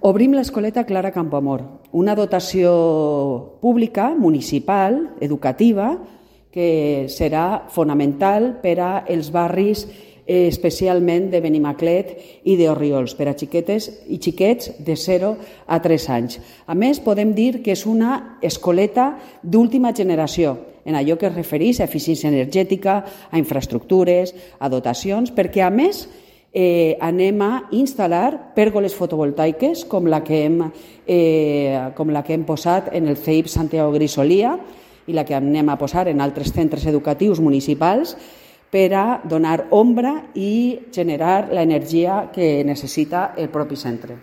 Obrim l'escoleta Clara Campoamor, una dotació pública, municipal, educativa, que serà fonamental per als barris especialment de Benimaclet i d'Orriols, per a xiquetes i xiquets de 0 a 3 anys. A més, podem dir que és una escoleta d'última generació, en allò que es refereix a eficiència energètica, a infraestructures, a dotacions, perquè, a més, anem a instal·lar pèrgoles fotovoltaiques com la que hem posat en el CEIP Santiago Grisolia i la que anem a posar en altres centres educatius municipals per a donar ombra i generar l'energia que necessita el propi centre.